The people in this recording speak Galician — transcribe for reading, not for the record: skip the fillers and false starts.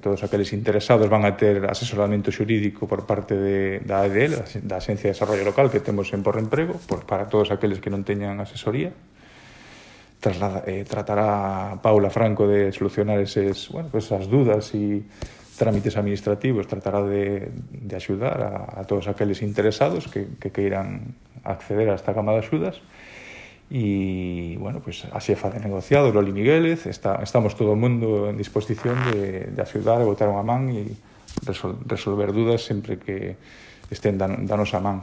todos aqueles interesados van a ter asesoramento xurídico por parte da AEDL, da Axencia de Desarrollo Local que temos en Por Emprego, para todos aqueles que non teñan asesoría. Tratará Paula Franco de solucionar esas dudas e trámites administrativos, tratará de axudar a todos aqueles interesados que queiran acceder a esta gama de axudas. E, a xefa de negociado, Loli Miguélez, estamos todo o mundo en disposición de axudar, a botar unha man e resolver dudas sempre que estén da nosa man.